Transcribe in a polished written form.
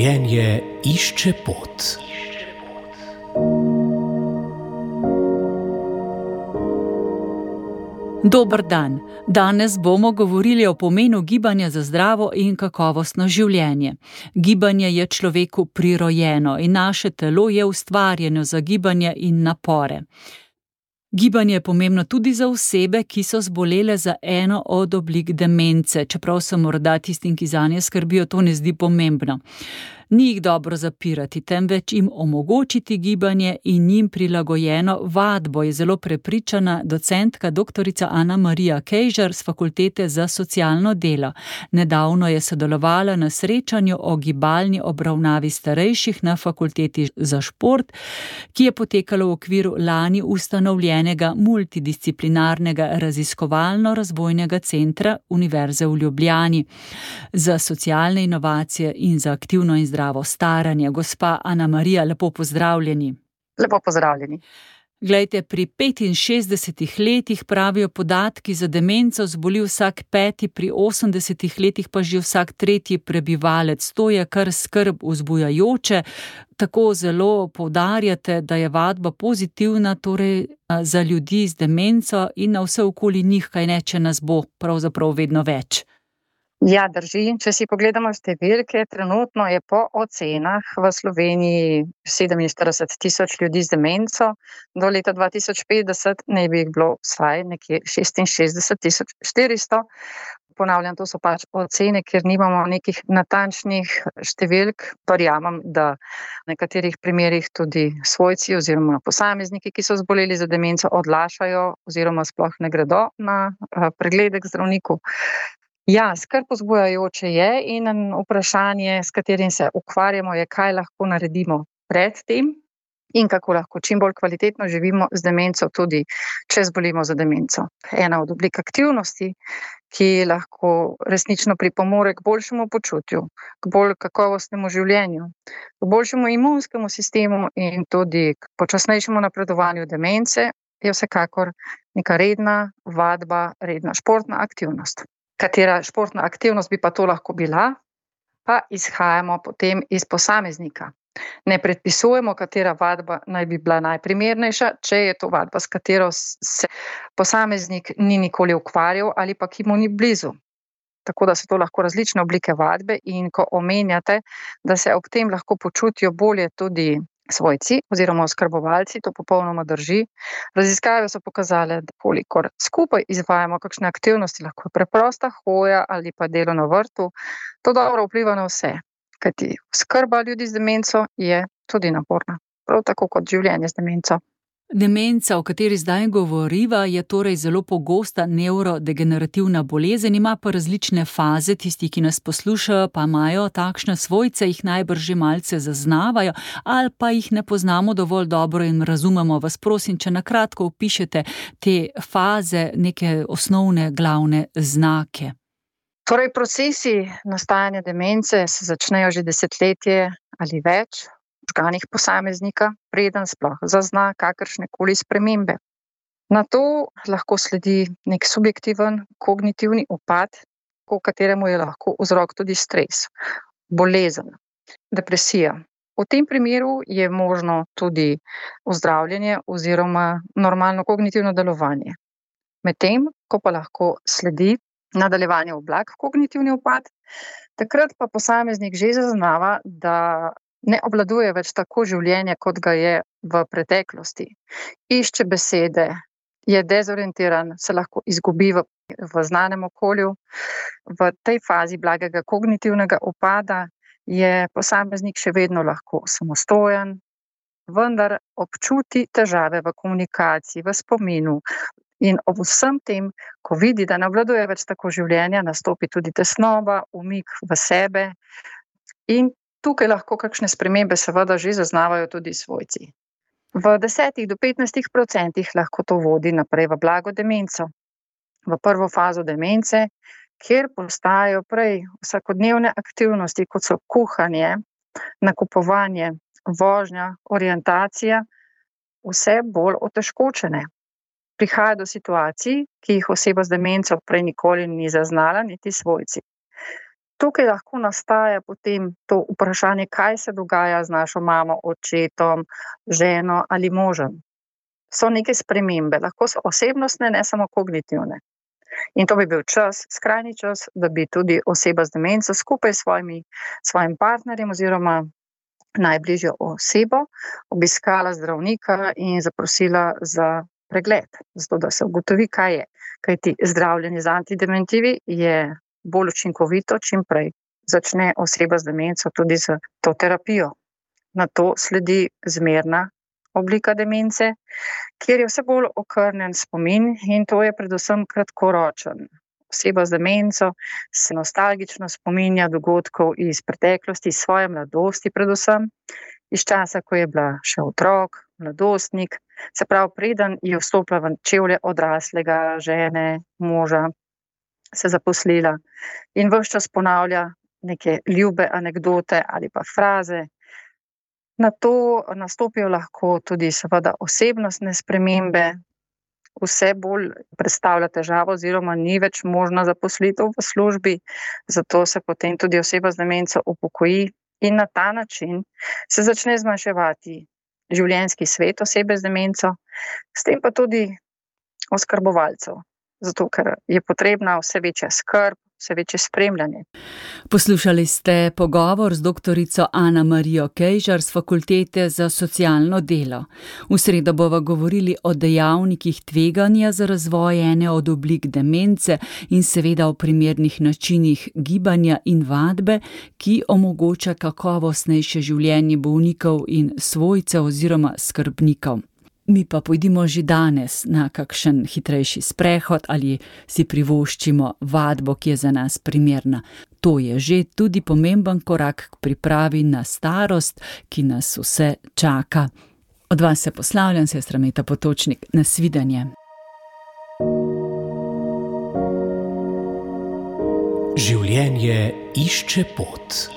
Življenje išče pot. Dober dan. Danes bomo govorili o pomenu gibanja za zdravo in kakovostno življenje. Gibanje je človeku prirojeno in naše telo je ustvarjeno za gibanje in napore. Gibanje je pomembno tudi za osebe, ki so zbolele za eno od oblik demence, čeprav se morda tistim, ki zanje skrbijo, to ne zdi pomembno. Ni jih dobro zapirati, temveč jim omogočiti gibanje in njim prilagojeno vadbo, je zelo prepričana docentka doktorica Ana Marija Kejžar s Fakultete za socialno delo. Nedavno je sodelovala na srečanju o gibalni obravnavi starejših na Fakulteti za šport, ki je potekalo v okviru lani ustanovljenega multidisciplinarnega raziskovalno-razvojnega centra Univerze v Ljubljani za socialne inovacije in za aktivno in zdravo staranje. Gospa Ana Marija, lepo pozdravljeni. Lepo pozdravljeni. Glejte, pri 65 letih pravijo podatki za demenco zboli vsak 5, pri 80 letih pa že vsak 3 prebivalec. To je kar skrb vzbujajoče. Tako zelo poudarjate, da je vadba pozitivna, torej za ljudi z demenco in na vse okoli njih, kaj ne, če nas bo pravzaprav vedno več. Ja, drži. Če si pogledamo številke, trenutno je po ocenah v Sloveniji 47 tisoč ljudi z demenco, do leta 2050 naj bi jih bilo vsaj nekje 66 400. Ponavljam, to so pač ocene, ker nimamo nekih natančnih številk. Verjamem, da v nekaterih primerih tudi svojci oziroma posamezniki, ki so zboleli za demenco, odlašajo oziroma sploh ne gredo na preglede k zdravniku. Ja, skrb vzbujajoče je in vprašanje, s katerim se ukvarjamo, je, kaj lahko naredimo pred tem in kako lahko čim bolj kvalitetno živimo z demenco, tudi če zbolimo za demenco. Ena od oblik aktivnosti, ki lahko resnično pripomore k boljšemu počutju, k bolj kakovostnemu življenju, k boljšemu imunskemu sistemu in tudi k počasnejšemu napredovanju demence, je vsekakor neka redna vadba, redna športna aktivnost. Katera športna aktivnost bi pa to lahko bila, pa izhajamo potem iz posameznika. Ne predpisujemo, katera vadba naj bi bila najprimernejša, če je to vadba, s katero se posameznik ni nikoli ukvarjal ali pa ki mu ni blizu. Tako da so to lahko različne oblike vadbe in ko omenjate, da se ob tem lahko počutijo bolje tudi svojci oziroma oskrbovalci, to popolnoma drži. Raziskave so pokazale, da kolikor skupaj izvajamo kakšne aktivnosti, lahko preprosta hoja ali pa delo na vrtu, to dobro vpliva na vse. Kajti oskrba ljudi z demenco je tudi naporna, prav tako kot življenje z demenco. Demenca, o kateri zdaj govoriva, je torej zelo pogosta nevrodegenerativna bolezen, ima pa različne faze. Tisti, ki nas poslušajo, pa imajo takšne svojce, jih najbrž že malce zaznavajo ali pa jih ne poznamo dovolj dobro in razumemo. Vas prosim, če na kratko opišete te faze, neke osnovne glavne znake. Torej, procesi nastajanja demence se začnejo že desetletje ali več v možganih posameznika, preden sploh zazna kakršnekoli spremembe. Na to lahko sledi nek subjektiven kognitivni upad, v kateremu je lahko vzrok tudi stres, bolezen, depresija. V tem primeru je možno tudi ozdravljenje oziroma normalno kognitivno delovanje. Medtem, ko pa lahko sledi nadaljevanje v blag kognitivni upad, takrat pa posameznik že zaznava, da ne obvladuje več tako življenja, kot ga je v preteklosti. Išče besede, je dezorientiran, se lahko izgubi v znanem okolju. V tej fazi blagega kognitivnega upada je posameznik še vedno lahko samostojen, vendar občuti težave v komunikaciji, v spominu. In ob vsem tem, ko vidi, da ne obvladuje več tako življenja, nastopi tudi tesnoba, umik v sebe in tukaj lahko kakšne spremembe seveda že zaznavajo tudi svojci. V 10 do 15% lahko to vodi naprej v blago demenco, v prvo fazo demence, kjer postajajo prej vsakodnevne aktivnosti, kot so kuhanje, nakupovanje, vožnja, orientacija, vse bolj otežkočene. Prihaja do situacij, ki jih oseba z demenco prej nikoli ni zaznala, niti svojci. Tukaj lahko nastaja potem to vprašanje, kaj se dogaja z našo mamo, očetom, ženo ali možem. So neke spremembe, lahko so osebnostne, ne samo kognitivne. In to bi bil čas, skrajni čas, da bi tudi oseba z demenco skupaj s svojim partnerjem oziroma najbližjo osebo obiskala zdravnika in zaprosila za pregled, zato da se ugotovi, kaj je. Kajti zdravljenje z antidementivi je bolj učinkovito, čim prej začne oseba z demenco tudi z to terapijo. Nato sledi zmerna oblika demence, kjer je vse bolj okrnjen spomin in to je predvsem kratkoročen. Oseba z demenco se nostalgično spominja dogodkov iz preteklosti, iz svoje mladosti predvsem, iz časa, ko je bila še otrok, mladostnik, se pravi, preden je vstopila v čevlje odraslega, žene, moža, se zaposlila in ves čas ponavlja neke ljube anekdote ali pa fraze. Nato nastopijo lahko tudi seveda osebnostne spremembe, vse bolj predstavlja težavo oziroma ni več možna zaposlitev v službi, zato se potem tudi oseba z demenco upokoji in na ta način se začne zmanjševati življenjski svet osebe z demenco, s tem pa tudi oskrbovalcev, zato ker je potrebna vse večja skrb, vse večje spremljanje. Poslušali ste pogovor z doktorico Ana Marijo Kejžar z Fakultete za socialno delo. V sredo bova govorili o dejavnikih tveganja za razvoj ene od oblik demence in seveda o primernih načinih gibanja in vadbe, ki omogoča kakovostnejše življenje bolnikov in svojcev oziroma skrbnikov. Mi pa pojdimo že danes na kakšen hitrejši sprehod ali si privoščimo vadbo, ki je za nas primerna. To je že tudi pomemben korak k pripravi na starost, ki nas vse čaka. Od vas se poslavljam, sestra Meta Potočnik. Nasvidenje. Življenje išče pot.